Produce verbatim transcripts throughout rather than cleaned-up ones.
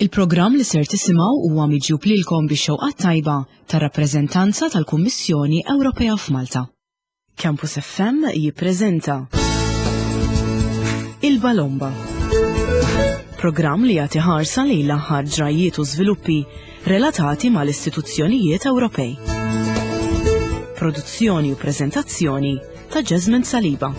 Il-programm li ser tisimgħu huwa miġjub lilkom bix-xewqa tajba tar-rappreżentanza tal-Kummissjoni Ewropea f'Malta. Campus F M jippreżenta Il-Balomba. Programm li jagħti ħarsa lejn l-aħħar ġrajiet u żviluppi relatati mal-istituzzjonijiet Ewropej. Produzzjoni u preżentazzjoni ta' Jasmine Saliba.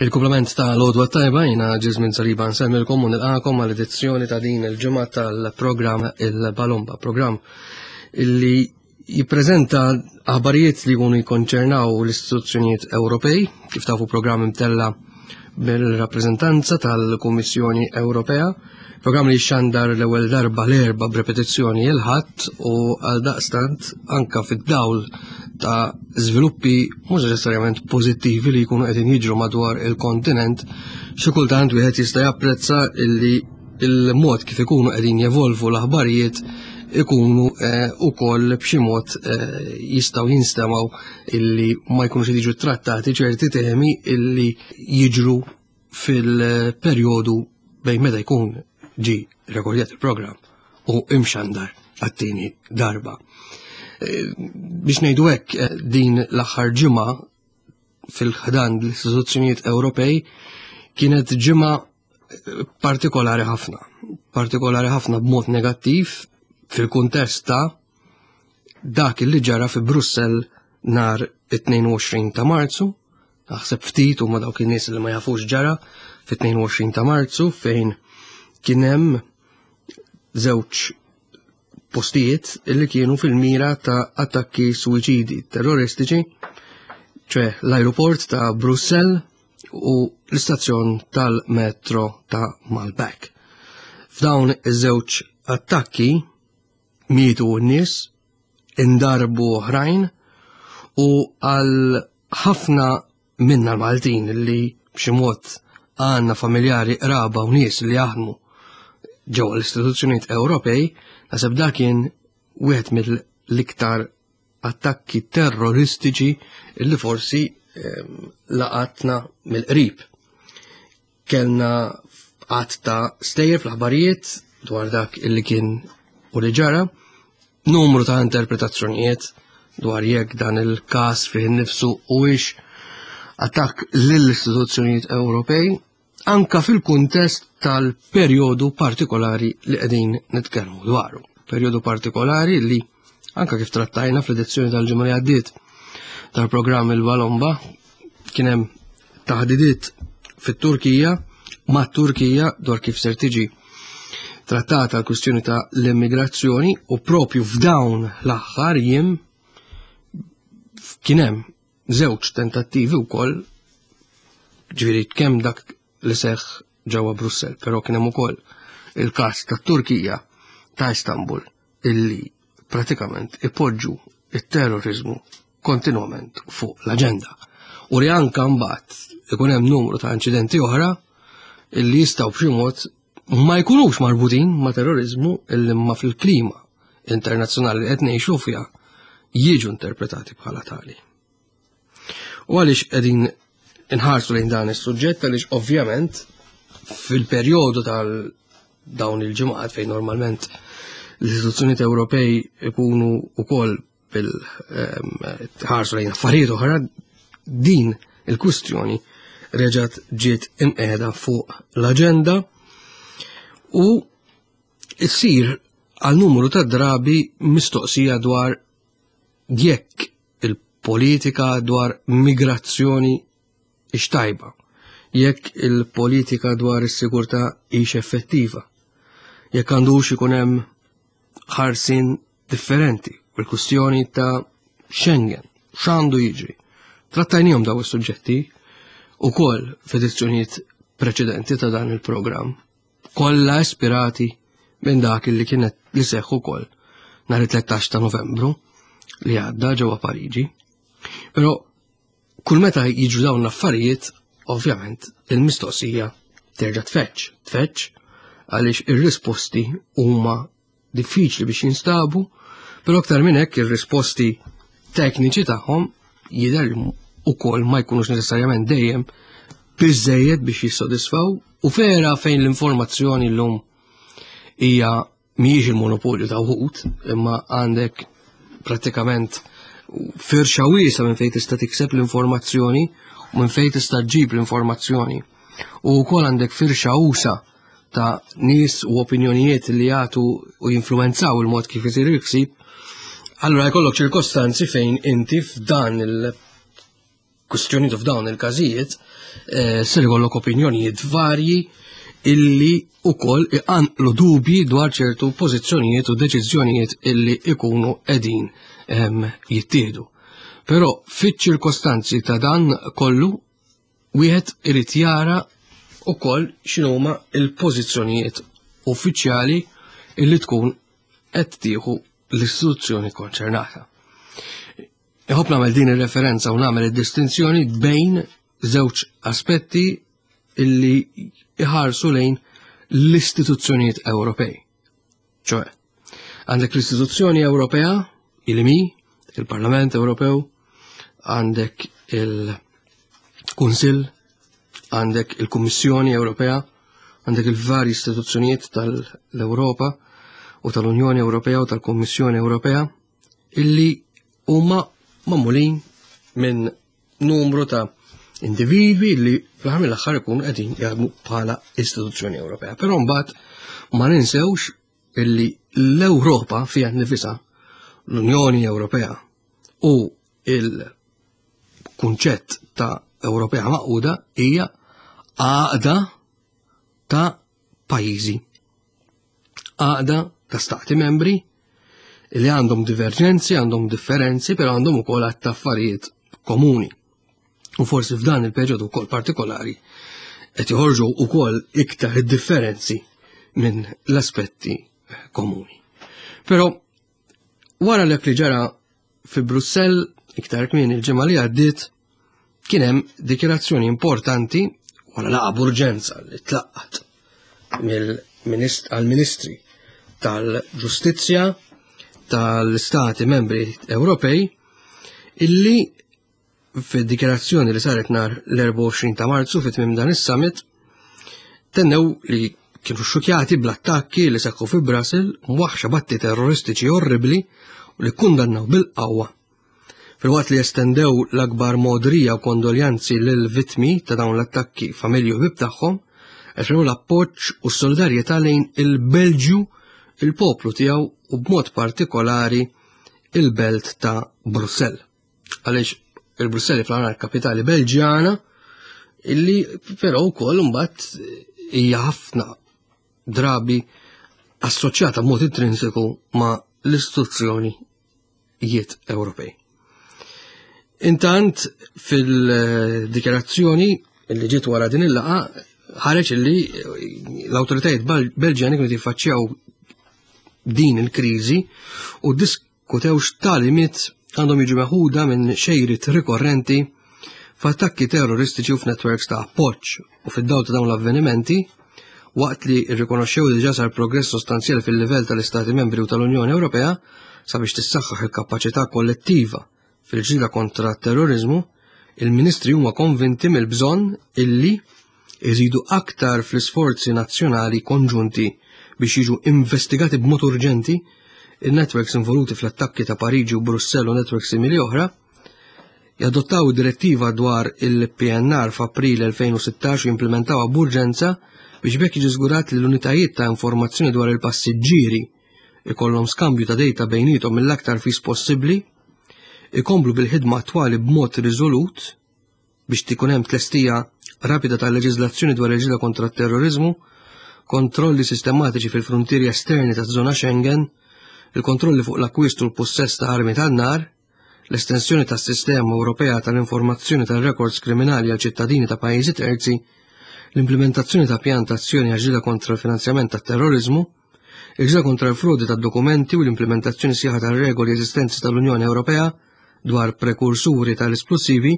Il-komplement ta' l-għodwa tajba, jiena Ġizmin Saliba nsemmilkom u nilqakom għal edizzjoni ta' din il-ġimgħa tal-programm Il-Balomba, programm illi jippreżenta aħbarijiet li jkunu jikkonċernaw l-istituzzjonijiet Ewropej, kif tafu programm imtella mill-rappreżentanza tal-Kummissjoni Ewropea, programm li xandar l-ewwel darba l-Erbgħa b'repetizzjoni il-Ħadd u għal daqstant anka fid-dawl ta' żviluppi mhux neċessarjament pożittivi li jkunu qegħdin jiġru madwar il-kontinent, xi kultant wieħed jista' japprezza illi il-mod kif ikunu qegħdin jevolvu l-aħbarijiet ikunu eh, ukoll b'xi mod eh, jistgħu jinstemaw illi ma jkunux jiġu trattati ċerti temi illi jiġru fil-perjodu bejn meta jkun ġi rekordjat il-programm u imxandar għat-tieni darba. Eh, biex ngħidu hekk, eh, din l-aħħar ġimgħa fil-ħdan l-istituzzjonijiet Ewropej kienet ġimgħa eh, partikolari ħafna, partikolari ħafna b'mod negattiv fil-kuntest ta' dak li ġara fi Brussell nhar it-tnejn u għoxrin ta' Marzu. Naħseb ftit huma dawk in-nies li ma jafux ġara fit-tnejn u għoxrin ta' Marzu, fejn kien hemm żewġ postijiet illi kienu fil-mira ta' attakki suwiċidi terroristiċi, ċe l-aeroport ta' Brussell u l-istazzjon tal-metro ta' Malbec. F'dawn iż-żewġ attakki mietu n-nies, indarbu oħrajn u għal ħafna minna l-Maltin li b'xi mod għandna familjari, qraba u nies li jaħdmu ġewwa l-istituzzjonijiet Ewropej, naħseb dak kien wieħed mill-iktar attakki terroristiċi li forsi ehm, laqatna mill-qrib. Kellna għadd ta' stejjer fl-aħbarijiet dwar dak illi kien u li ġara, numru ta' interpretazzjonijiet dwar jekk dan il-każ fih innifsu huwiex attakk lill-istituzzjonijiet Ewropej, anka fil-kuntest tal-perjodu partikolari li qegħdin nitkellmu dwaru. Perjodu partikolari li anka kif trattajna fl-edizzjoni tal-ġimgħa li għaddiet tal-programm Il-Balomba, kien hemm taħdidiet fit-Turkija ma' Turkija dwar kif ser tiġi trattata l-kwistjoni ta' l-immigrazzjoni u propju f'dawn l-aħħar jiem kien hemm żewġ tentattivi wkoll, ġifieri kemm dak li seħħ ġewwa Brussell, però kien hemm ukoll il-każ tat-Turkija ta' Istanbul illi pratikament ipoġġu it-terrorizmu kontinwament fuq l-aġenda. U li anka mbagħad ikun hemm numru ta' inċidenti oħra illi jistgħu b'xi mod ma jkunux marbutin ma' terrorizmu, illi ma fil-klima internazzjonali li qed ngħixu fiha jiġu interpretati bħala tali. U għaliex qegħdin inħarsu lejn dan is-suġġett? Għaliex ovvjament fil-perjodu tal dawn il-ġimgħat fejn normalment l-istituzzjonijiet Ewropej ikunu wkoll bil-ħarsu lejn affarijiet oħra, din il-kwistjoni reġgħet ġiet imqiegħda fuq l-aġenda u issir għal numru ta' drabi mistoqsija dwar jekk il-politika dwar migrazzjoni hix tajba, jekk il-politika dwar is-sigurtà hix effettiva, jekk għandux ikun hemm ħarsin differenti, u l-kwistjoni ta' Schengen, x'għandu jiġri. Trattajnihom daw is-suġġetti ukoll f'edizzjonijiet preċedenti ta' dan il-programm, kollha ispirati minn dak li kienet li seħħ ukoll nhar it-tlettax ta' Novembru li għadda ġewwa Pariġi. Però kull meta jiġu dawn l-affarijiet, ovvjament il-mistoqsija terġa' tfeġġ, tfeġġ għaliex ir-risposti huma diffiċli biex jinstabu, però aktar minn hekk ir-risposti tekniċi tagħhom jidher ukoll ma jkunux neċessarjament dejjem biżejjed biex jissodisfaw u fera fejn l-informazzjoni llum hija mhijiex il-monopolju ta' wħud, imma għandek prattikament firxa wiesa minn fejn tista' tikseb l-informazzjoni u minn fejn tista' ġġib l-informazzjoni. U wkoll għandek firxa usa ta' nies u opinjonijiet li jagħtu u jinfluwenzaw il-mod kif isir il-ksib, allura jkollok ċirkostanzi fejn inti f'dan il-kwistjonijiet u f'dawn il-każijiet eh, ser ikollok opinjonijiet varji illi ukoll iqanqlu dubji dwar ċertu pożizzjonijiet u deċiżjonijiet illi ikunu qegħdin ehm, jittieħdu. Però fiċ-ċirkostanzi ta' dan kollu wieħed irid jara ukoll x'inhuma il-pożizzjonijiet uffiċjali illi tkun qed tieħu l-istituzzjoni konċernata. Iħobb nagħmel din ir-referenza u nagħmel id-distinzjoni bejn żewġ aspetti illi iħarsu lejn l-istituzzjonijiet Ewropej. ċoe, għandek l-istituzzjoni Ewropea, il-mi, il-Parlament Ewropew, għandek il-Kunsill, għandek il-Kummissjoni Ewropea, għandek il-vari istituzzjonijiet tal-Ewropa u tal-Unjoni Ewropea u tal-Kummissjoni Ewropea illi huma magħmulin minn numru ta' individwi li fl-aħħar mill-aħħar ikunu qegħdin jaħdmu bħala istituzzjoni Ewropea. Però mbagħad ma ninsewx illi l-Ewropa fiha nnifisha l-Unjoni Ewropea u il-kunċett ta' Ewropea maquda hija għaqda ta' pajjiżi. Għaqda ta' stati membri li għandhom diverġenzi, għandhom differenzi, però għandhom ukoll għadd ta' affarijiet komuni. U forsi f'dan il-perjodu wkoll partikolari qed joħorġu wkoll iktar differenzi minn l-aspetti komuni. Però wara l li ġara fi Brussell iktar kmieni il-ġimgħa li għaddiet kien hemm dikjarazzjoni importanti wara laqgħa b'urġenza li tlaqqat għall-Ministri tal-Ġustizzja tal-Istati Membri Ewropej illi fid-dikjarazzjoni li saret nhar l-erbgħa u għoxrin ta' Marzu fit tmiem dan is-summit tennew li kienu xukjati bl-attakki li seħħu fi Brussel mwaħxa batti terroristiċi orribli u li kundannaw bil-qawwa. Filwaqt li estendew l-akbar modrija u kondoljanzi lil vittmi ta' dawn l-attakki, familji u ħbieb tagħhom, esprimew l-appoġġ u s-solidarjetà lejn il-Belġju, il-poplu tiegħu u b'mod partikolari il-belt ta' Brussell. Għaliex il-Brussell fl-għana kapitali Belġjana, illi però wkoll imbagħad hija ħafna drabi assoċjata b'mod intrinsiku ma' l-istituzzjonijiet Ewropej. Intant fil-dikjarazzjoni li ġiet wara din il-laqgħa ħareġ illi l-awtoritajiet Belġjani kienu jiffaċċjaw din il-kriżi u diskutew x'tagħlimiet għandhom jiġu meħuda minn xejriet rikorrenti f'attakki terroristiċi u f'networks ta' appoġġ u fid-dawl ta' dawn l-avvenimenti waqt li rrikonoxxew li diġà sar progress sostanzjali fil-livell tal-Istati Membri u tal-Unjoni Ewropea sabiex tissaħħaħ il-kapaċità kollettiva fil-ġlieda kontra t-terrorizmu, il-ministri huma konvinti mill-bżonn illi iżidu aktar fl-isforzi nazzjonali konġunti biex jiġu investigati b'mod urġenti il-networks involuti fl-attakki ta' Pariġi u Brussell u networks simili oħra, jadottaw direttiva dwar il-P N R f'April elfejn u sittax u jimplementawha b'urġenza biex bekk jiġi żgurat li l-unitajiet ta' informazzjoni dwar il-passiġġieri ikollhom skambju ta' data bejniethom mill-aktar fis possibbli, ikomplu bil-ħidma attwali b'mod riżolut biex tikun hemm tlestija rapida tal-leġiżlazzjoni dwar il-ġlieda kontra t-terrorizmu, kontrolli sistematiċi fil-frontieri esterni taż-żona Schengen, il-kontrolli fuq l-akkwist u l-pussess ta' armi tan-nar, l-estensjoni tas-sistema Ewropea tal-informazzjoni tal-rekords kriminali għal ċittadini ta' pajjiżi terzi, l-implementazzjoni ta' pjan ta' azzjoni għal ġlieda kontra l-finanzjament tat-terrorizmu, il-ġlieda kontra l-frodi tad-dokumenti u l-implementazzjoni sħiħa tar-regoli eżistenti tal-Unjoni Ewropea dwar prekursuri tal-esplosivi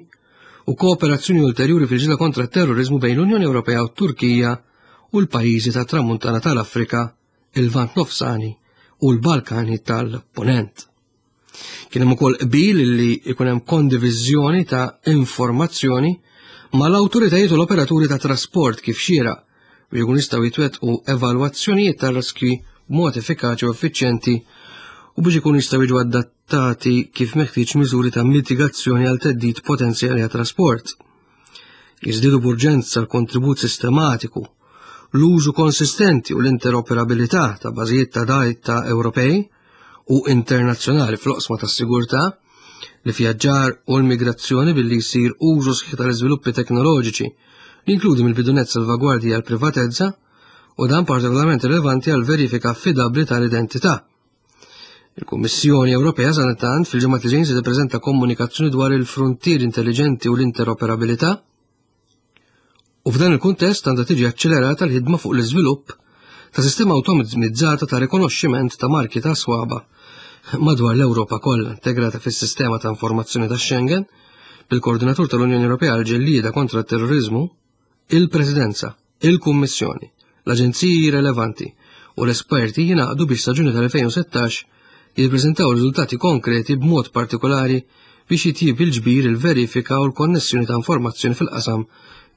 u kooperazzjoni ulterjuri fil-ġlieda kontra t-terrorizmu bejn l-Unjoni Ewropea u t-Turkija u l-pajjiżi tat-Tramuntana tal-Afrika, il-Lvant Nofsani u l-Balkani tal-Ponent. Kien hemm ukoll qbil li jkun hemm kondiviżjoni ta' informazzjoni mal-awtoritajiet u l-operaturi ta' trasport kif xieraq biex ikun jistgħu jitwettqu evalwazzjonijiet ta' riskji b'mod effikaċi u effiċjenti u biex ikun jistgħu jiġu adattati kif meħtieġ miżuri ta' mitigazzjoni għal theddid potenzjali għat-trasport. Jiżdiedu b'urġenza l-kontribut sistematiku, l-użu konsistenti u l-interoperabilità ta' bażijiet ta' data Ewropej u internazzjonali fl-oqsma tas-sigurtà, l-ivvjaġġar u l-migrazzjoni billi jsir użu sħiħ tal-iżviluppi teknoloġiċi li jinkludi mill-bidu nett salvagwardji għal privatezza u dan partikolarment rilevanti għal verifika affidabbli tal-identità. Il-Kummissjoni Ewropea sadanittant fil-ġimgħat li ġejjin se tippreżenta komunikazzjoni dwar il-fruntieri intelligenti u l-interoperabilità u f'dan il-kuntest għandha tiġi aċċelerata l-ħidma fuq l-iżvilupp ta' sistema awtomatizzata ta' rikonoxximent ta' marki ta' swaba madwar l-Ewropa kollha integrata fis-sistema ta' informazzjoni ta' Schengen bil-Koordinatur tal-Unjoni Ewropea għal-ġellieda kontra t-terrorizmu, il-Presidenza, il-Kummissjoni, l-aġenziji relevanti u l-esperti jingħaqdu biex sa Ġunju tal-elfejn u sittax jippreżentaw riżultati konkreti b'mod partikolari biex jitjib il-ġbir, il-verifika u l-konnessjoni ta' informazzjoni fil-qasam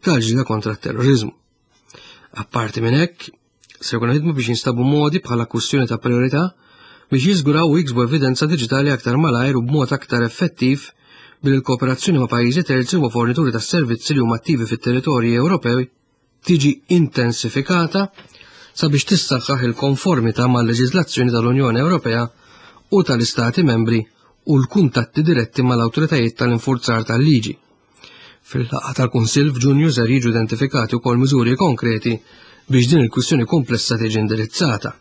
tal-ġlieda kontra t-terrorizmu. Apparti minn hekk, se jkunu ħidmu biex jinstabu modi bħala kwistjoni ta' priorità biex jiżguraw u jiksbu evidenza diġitali aktar malajr u b'mod aktar effettiv billi l-kooperazzjoni ma' pajjiżi terzi u ma' fornituri ta' servizzi li huma attivi fit-territorji Ewropej tiġi intensifikata sabiex tissaħħaħ il-konformità mal-leġiżlazzjoni tal-Unjoni Ewropea u tal-Istati membri u l-kuntatti diretti mal-awtoritajiet tal-infurzar tal-liġi. Fil-laqgħa tal-Kunsill f'Ġunju ser jiġu identifikati wkoll miżuri konkreti biex din il-kwistjoni komplessa tiġi indirizzata.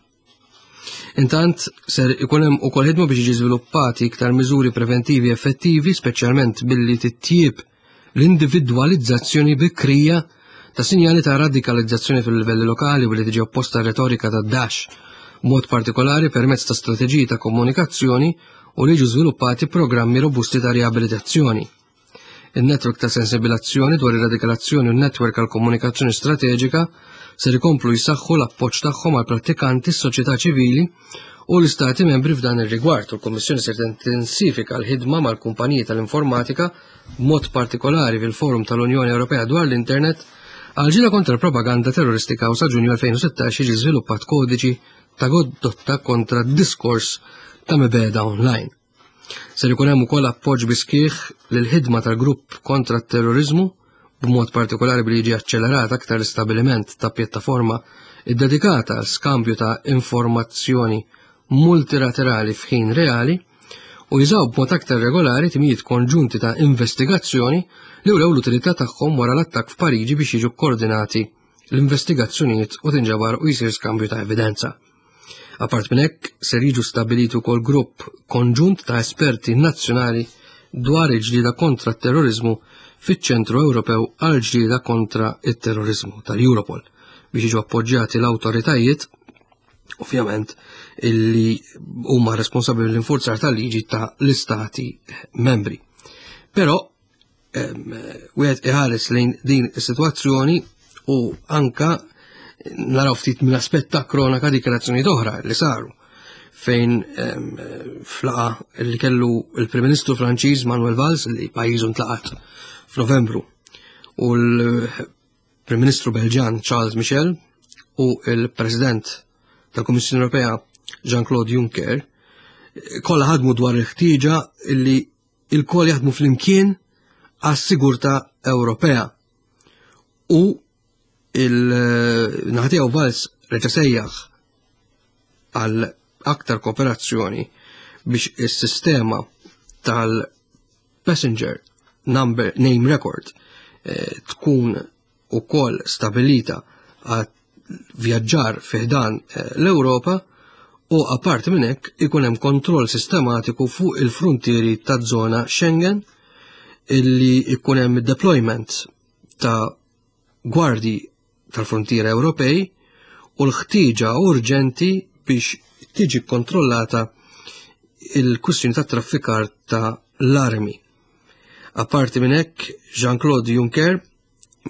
Intant, ser ikun hemm ukoll ħidma biex jiġi żviluppati iktar miżuri preventivi effettivi, speċjalment billi titjieb l-individwalizzazzjoni bikrija ta' sinjali ta' radikalizzazzjoni fil-livelli lokali u li tiġi opposta retorika ta' Daesh, b'mod partikolari permezz ta' strateġiji ta' komunikazzjoni u li jiġu żviluppati programmi robusti ta' riabilitazzjoni. Il-network ta' sensibilizzazzjoni dwar ir-radikalizzazzjoni u n-network għal komunikazzjoni strateġika ser ikomplu jsaħħu l-appoġġ tagħhom għal prattikanti, s-soċjetà ċivili u l-istati membri f'dan ir-rigward. U l-Kummissjoni ser tintensifika l-ħidma mal-kumpaniji tal-informatika b'mod partikolari fil-Forum tal-Unjoni Ewropea dwar l-Internet għal ġlieda kontra propaganda terroristika u sa Ġunju elfejn u sittax jiġi żviluppat kodiċi ta' kondotta kontra d-diskors ta' mibegħda online. Ser ikun hemm ukoll appoġġ biskieħ lil ħidma tal-grupp kontra t-terrorizmu b'mod partikolari billi jiġi aċċelerat aktar l-istabbiliment ta' pjattaforma iddedikata għal skambju ta' informazzjoni multilaterali f'ħin reali u jużaw b'mod aktar regolari timijiet konġunti ta' investigazzjoni li wrew l-utilità tagħhom wara l-attakk f'Pariġi biex jiġu koordinati l-investigazzjonijiet u tinġabar u jsir skambju ta' evidenza. Apart minn hekk, ser jiġu stabbiliti wkoll grupp konġunt ta' esperti nazzjonali dwar il-ġlieda kontra t-terrorizmu fiċ-Ċentru Ewropew għal ġlieda kontra t-terrorizmu tal-Europol biex jiġu appoġġjati l-awtoritajiet ovvjament illi huma responsabbli mill-infurzar tal-liġi ta' l-istati membri. Però ehm, wieħed iħares lejn din is-sitwazzjoni u anka naraw ftit minn aspett ta' kronaka dikjarazzjonijiet oħra li saru fejn, ehm, flaqa li kellu il-Prim Ministru Franċiż Manuel Valls li pajjiżu ntlaqat f'Novembru u l-Prim Ministru Belġan Charles Michel u il-President tal-Kummissjoni Ewropea Jean-Claude Juncker kollha ħadmu dwar il-ħtieġa li il-koll jaħdmu flimkien għas-sigurtà Ewropea. U il-naħa tiegħu Valls reġa' sejjaħ għal aktar kooperazzjoni biex is-sistema tal-passenger number name record, eh, tkun ukoll stabilita għal vjaġġar fiħdan, eh, l-Ewropa u apparti minn hekk ikun hemm kontroll sistematiku fuq il-frontieri taż-żona Schengen illi ikun hemm deployment ta' gwardji tal-frontiera Ewropej u l-ħtieġa urġenti biex tiġi kontrollata il-kwistjoni ta' traffikar ta' l-armi. Apparti minn hekk, Jean-Claude Juncker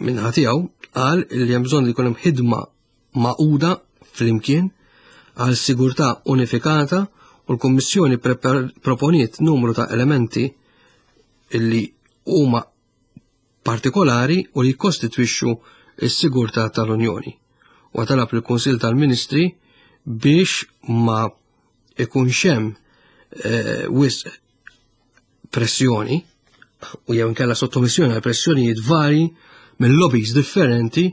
min-naħa tiegħu qal li hemm bżonn li jkun hemm ħidma magħquda flimkien għal sigurtà unifikata u l-Kummissjoni proponiet numru ta' elementi illi huma partikolari u li jkostitwixxu s-sigurtà tal-Unjoni. U talab il-Kunsill tal-Ministri biex ma ikunx hemm eh, wisq pressjoni u jew inkella sottomissjoni għal pressjonijiet vari minn lobbies differenti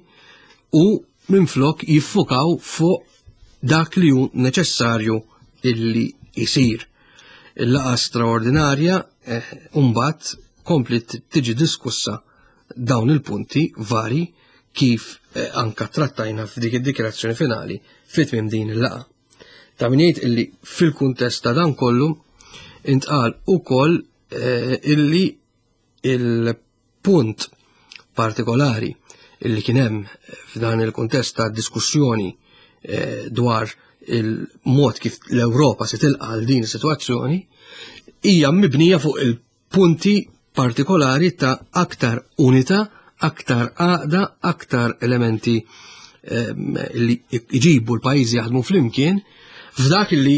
u minflok jiffukaw fuq dak li hu neċessarju illi jisir. Il-laqgħa straordinarja eh, mbagħad kompli tiġi diskussa dawn il-punti vari kif eh, anka trattajna f'dik id-dikjarazzjoni finali fit-tmiem din il-laqgħa. Ta' min jgħid illi fil-kuntest ta' dan kollu intqal ukoll eh, illi il-punt partikolari illi kien hemm f'dan il-kuntest ta' diskussjoni eh, dwar il-mod kif l-Ewropa se tilqa' għal din is-sitwazzjoni hija mibnija fuq il-punti partikolari ta' aktar unità, aktar għaqda, aktar elementi ehm, li jġibu l-pajjiżi jaħdmu flimkien f'dak li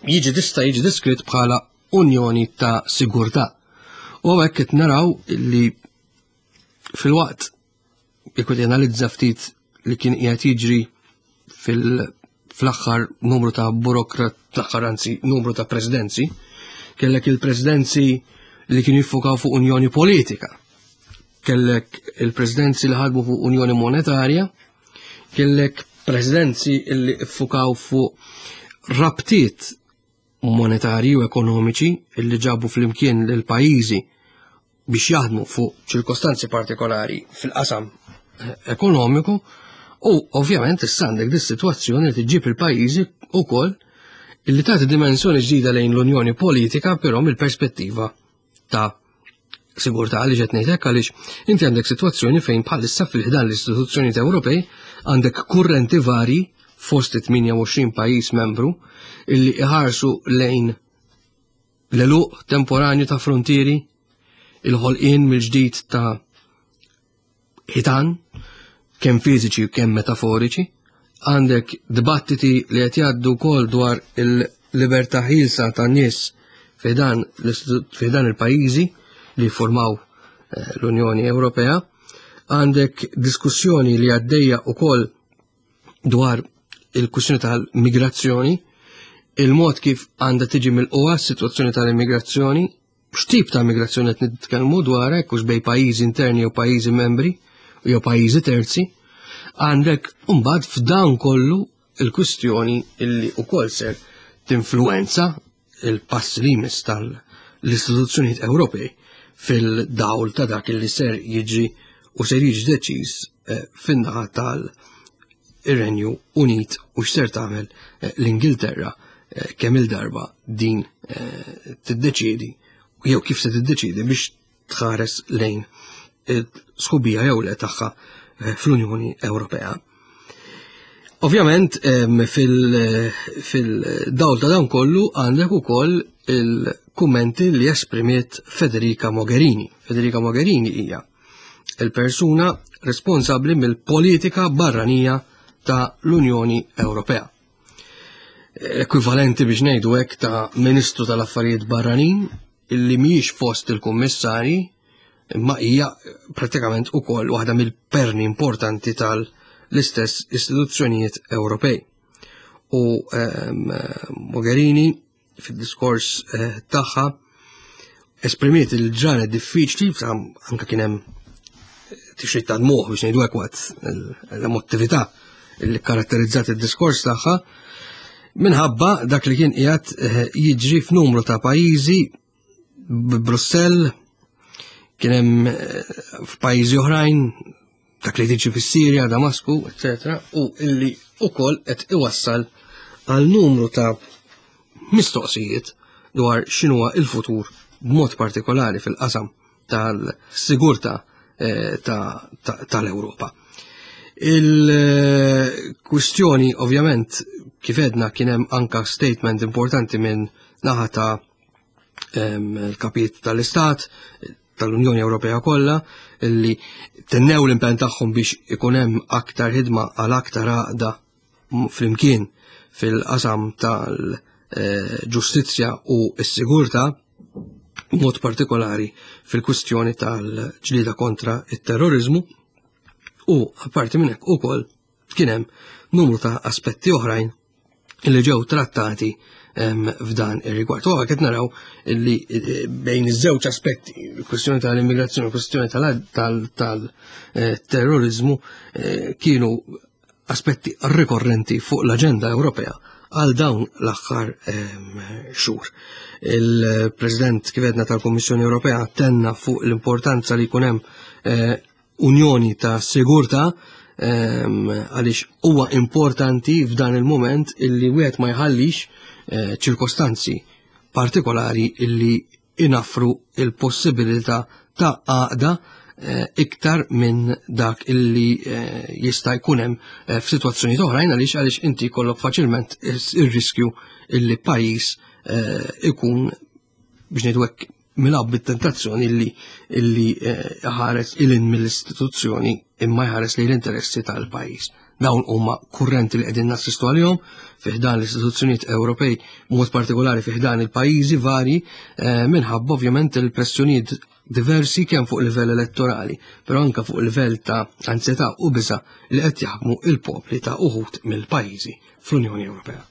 jiġi tista' jiġi diskrit bħala unjoni ta' sigurtà. U hekk qed naraw li fil-waqt jekk qed analizza ftit li kien qiegħed jiġri fil-aħħar numru ta' burokrat, l-aħħar anzi numru ta' presidenzi, kellek il-presidenzi li kienu jiffukaw fuq unjoni politika, kellek il-presidenzi li ħadmu fuq unjoni monetarja, kellek presidenzi li ffukaw fuq rabtiet monetarji u ekonomiċi illi ġabu flimkien l-pajjiżi biex jaħdmu fuq ċirkostanzi partikolari fil-qasam ekonomiku u ovvjament issa għandek dis-sitwazzjoni li tiġġib il-pajjiżi wkoll illi tagħti dimensjoni ġdida lejn l-Unjoni Politika però mill-perspettiva ta' sigurtà. Għaliex qed ngħid hekk? Għaliex inti għandek sitwazzjoni fejn bħalissa fil-ħdan l-istituzzjonijiet Ewropej għandek kurrenti vari fost tmienja u għoxrin pajjiż membru illi iħarsu lejn l-għeluq temporanju ta' frontieri, il-ħolqien mill-ġdid ta' ħitan, kemm fiżiċi u kemm metaforiċi, għandek dibattiti li qed jgħaddu wkoll dwar il-libertà ħielsa tan-nies fi dan il-pajjiżi li formaw eh, l-Unjoni Ewropea, għandek diskussjoni li għaddejja wkoll dwar il-kwistjoni tal-migrazzjoni, il-mod kif għandha tiġi milqugħa s-sitwazzjoni tal-immigrazzjoni, x'tip ta' migrazzjoni qed nitkellmu dwar hekk, hux bejn pajjiżi interni jew pajjiżi membri jew pajjiżi terzi, għandek mbagħad f'dan kollu il-kwistjoni illi wkoll ser tinfluwenza il-pass li jmiss tal-istituzzjonijiet Ewropej fil-dawl ta' dak li ser jiġi u ser jiġi deċiż eh, fin-naħa tal-Renju Unit u x'ser tagħmel eh, l-Ingilterra eh, kemm il-darba din tiddeċiedi jew kif se tiddeċiedi biex tħares lejn sħubija jew le tagħha fl-Unjoni Ewropea. Ovvjament fil-dawl ta' dan kollu għandek ukoll il-kummenti li esprimiet Federica Mogherini. Federica Mogherini hija il-persuna responsabbli mill-politika barranija ta' l-Unjoni Ewropea. Ekwivalenti biex ngħidu hekk ta' Ministru tal-Affarijiet Barranin illi mhijiex fost il-kummissarji imma hija pratikament ukoll waħda mill-perni importanti tal-istess istituzzjonijiet Ewropej. U um, Mogherini fid-diskors eh, tagħha esprimiet il-ġranet diffiċli, anka kien hemm tixrid ta' dmuħ biex ngħidu hekk waqt l-emotività li karatterizzat id-diskors tagħha minħabba dak li kien qiegħed eh, jiġri f'numru ta' pajjiżi. Brussell kien hemm eh, f'pajjiżi oħrajn dak li tiġi fis-Sirja, Damasku, eċetera, u illi ukoll qed iwassal għal numru ta' mistoqsijiet dwar x'inhuwa il-futur b'mod partikolari fil-qasam tal-sigurtà eh, tal-Ewropa. Il-kwistjoni ovvjament kif edna kien hemm anka statement importanti minn naħa ta' l-kapijiet tal-Istat, tal-Unjoni Ewropea kollha, illi tennew l-impenn tagħhom biex ikun hemm aktar ħidma għal aktar għaqda flimkien fil-qasam tal-ġustizzja u s-sigurtà, mod partikolari fil-kwistjoni tal-ġlieda kontra it-terrorizmu, u apparti minn hekk ukoll kien hemm numru ta' aspetti oħrajn li ġew trattati f'dan ir-rigward. U qed naraw li bejn iż-żewġ aspetti, il-kwistjoni tal-immigrazzjoni u l-kwistjoni tal-terrorizmu, kienu aspetti rikorrenti fuq l-aġenda Ewropea għal dawn l-aħħar xhur. Il-President kif għedna tal-Kummissjoni Ewropea tenna fuq l-importanza li jkun hemm unjoni ta' sigurtà, għaliex huwa importanti f'dan il-moment illi wieħed ma jħallix ċirkostanzi partikolari illi inaffru il-possibilità ta' għaqda iktar minn dak illi jista' jkun hemm f'sitwazzjonijiet oħrajn, għaliex għaliex inti jkollok faċilment ir-riskju illi pajjiż ikun, biex ngħidu hekk, milgħub bit-tentazzjoni illi, illi ħares ilin mill-istituzzjoni imma jħares lejn l-interessi tal-pajjiż. Dawn huma kurrenti li qegħdin nassistu għalihom fi ħdan l-istituzzjonijiet Ewropej, b'mod partikolari fi ħdan il-pajjiżi varji, minħabba ovvjament il-pressjonijiet diversi kemm fuq livell elettorali, però anke fuq livell ta' ansjetà u biża' li qed jaħkmu il-popli ta' uħud mill-pajjiżi fl-Unjoni Ewropea.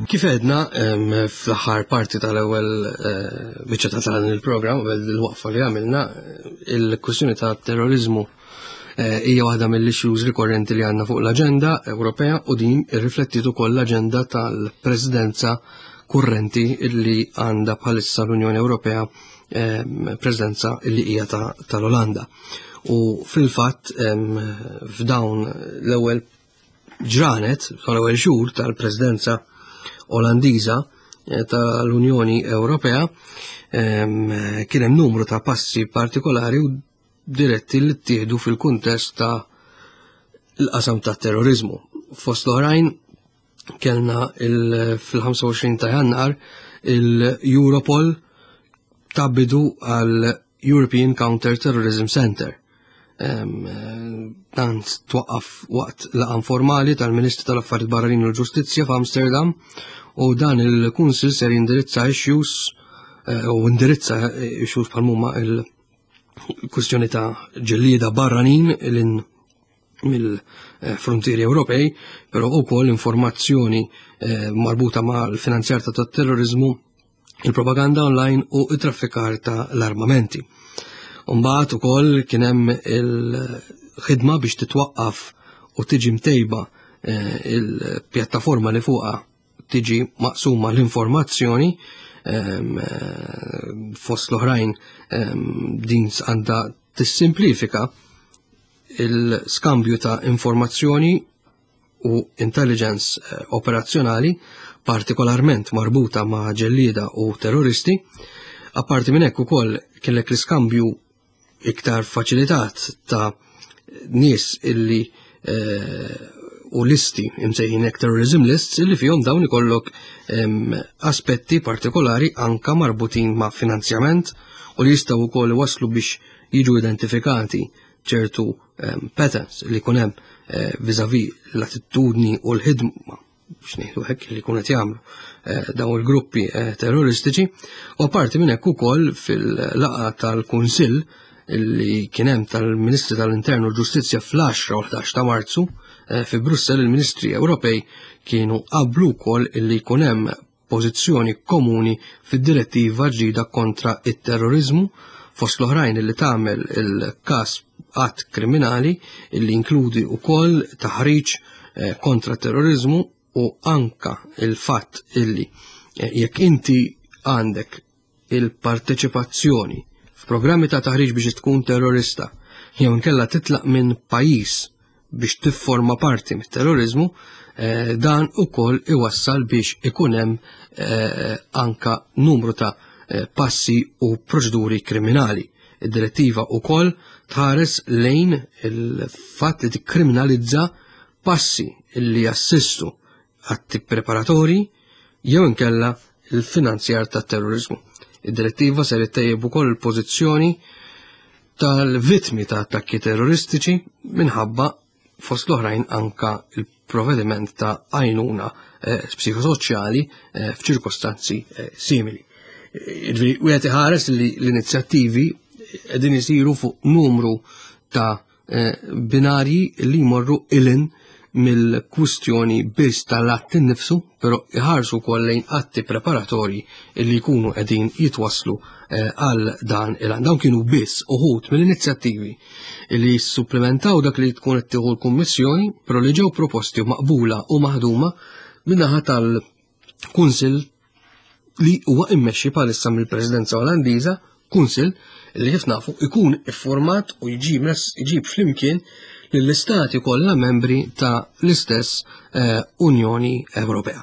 Kif għedna, em, fl-aħħar parti tal-ewwel, eh, biċċa ta' dan il-programm, qabel il-waqfa li għamilna, il-kwistjoni ta' terrorizmu, eh, hija waħda mill-issues rikorrenti li għandna fuq l-aġenda Ewropea, u din irriflettiet ukoll l-aġenda tal-Presidenza kurrenti illi għandha bħalissa l-Unjoni Ewropea, em, Presidenza illi hija ta', tal-Olanda. U fil-fatt, em, f'dawn l-ewwel ġranet, tal-ewwel xhur tal-Presidenza Olandiża, eh, tal-Unjoni Ewropea, em, kien hemm numru ta' passi partikolari u diretti li ttieħdu fil-kuntest ta' l-qasam ta' terrorizmu. Fost l-oħrajn kellna il-, fil-ħamsa u għoxrin ta' Jannar il-Europol ta' bidu għal European Counter Terrorism Center. Em, dan twaqqaf waqt laqgħa informali tal-Ministri tal-Affarijiet Barranin u l-Ġustizzja f'Amsterdam, u dan il-Kunsill ser jindirizza issues, eh, u indirizza issues bħal huma il-kwistjoni ta' ġellieda barranin lil mill-frontieri Ewropej, però wkoll informazzjoni, eh, marbuta mal-finanzjar ta' terrorizmu, il-propaganda online u it-traffikar ta' l-armamenti. Mbagħad ukoll kien hemm il-ħidma biex titwaqqaf u tiġi mtejba, eh, il-pjattaforma li fuqha tiġi maqsuma l-informazzjoni, ehm, eh, fost l-oħrajn, ehm, din għandha tissimplifika il-skambju ta' informazzjoni u intelligence, eh, operazzjonali, partikolarment marbuta ma' ġellieda u terroristi. Apparti minn hekk ukoll kellek l-iskambju iktar faċilitat ta' nies illi, eh, u listi imsejħin hekk terrorism lists illi fihom dawn ikollok, ehm, aspetti partikolari anka marbutin ma' finanzjament u li jistgħu wkoll iwasslu biex jiġu identifikati ċertu, ehm, patterns li jkun hemm, eh, vis-à-vis l-attitudni u l-ħidma biex ngħidu hekk li jkun qed jagħmlu, eh, dawn il-gruppi, eh, terroristiċi. U apparti minn hekk ukoll fil-laqgħa tal-Kunsill li kien hemm tal-Ministri tal-Intern u l-Ġustizzja fl-għaxra u ħdax ta' Marzu, eh, fi Brussell, il-Ministri Ewropej kienu qablu wkoll illi jkun hemm pożizzjoni komuni fid-direttiva ġdida kontra it-terrorizmu, fost l-oħrajn illi tagħmel il-każ att kriminali illi inkludi wkoll taħriġ, eh, kontra terrorizmu u anka il-fatt illi, eh, jekk inti għandek il-parteċipazzjoni f'programmi ta' taħriġ biex tkun terrorista jew inkella titlaq minn pajjiż biex tifforma parti mit-terrorizmu, Eh, dan ukoll iwassal biex ikun hemm eh, anka numru ta' eh, passi u proċeduri kriminali. Id-direttiva ukoll tħares lejn il-fatt li tikkriminalizza passi li jassistu atti preparatori jew inkella il-finanzjar ta' terrorizmu. Id-direttiva ser ittejjeb ukoll il-pożizzjoni tal-vittmi ta' attakki terroristiċi minħabba fost l-oħrajn anka il-provvediment ta' għajnuna eh, psikosoċjali eh, f'ċirkostanzi eh, simili. Jiġifieri wieħed iħares li l-inizjattivi qegħdin isiru fuq numru ta' eh, binarji li jmorru ilin mill-kwistjoni biss tal-att innifsu, però iħarsu wkoll lejn atti preparatorji li jkunu qegħdin jitwasslu eh, għal dan il-għan. Dawn kienu biss uħud mill-inizjattivi li jissupplementaw dak li tkun qed tieħu l-Kummissjoni, però li ġew proposti u maqbula u maħduma min-naħa tal-Kunsill li huwa immexxi bħalissa mill-Presidenza Olandiża, Kunsill li kif nafu ikun iffurmat u jġib jġib flimkien lill-istati kollha membri ta' l-istess eh, Unjoni Ewropea.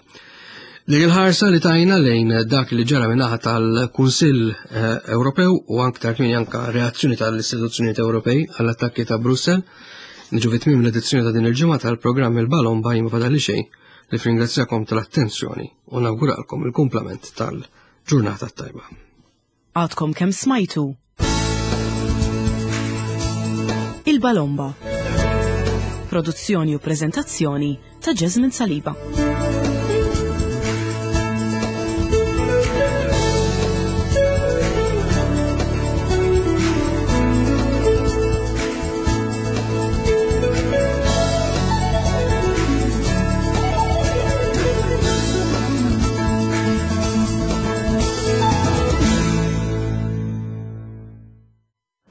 Dik il-ħarsa li tajna lejn dak li ġara min-naħa tal-Kunsill eh, Ewropew u aktar kmieni anka reazzjoni tal-istituzzjonijiet Ewropej għall-attakki ta' Brussell. Niġu fi tmiem l-edizzjoni ta' din il-ġimgħa tal-programm Il-Balomba. Ma fadalli xejn ħlief nirringrazzjakom tal-attenzjoni u nawguralkom il-kumplament tal-ġurnata tajba. Għadkom kemm smajtu Il-Balomba. Produzzjoni u prezentazzjoni ta' Jasmine Saliba.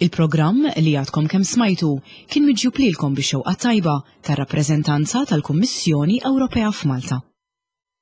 Il-programm li għadkom kemm smajtu kien miġjub lilkom bix-xewqa tajba tar-rappreżentanza tal-Kummissjoni Ewropea f'Malta.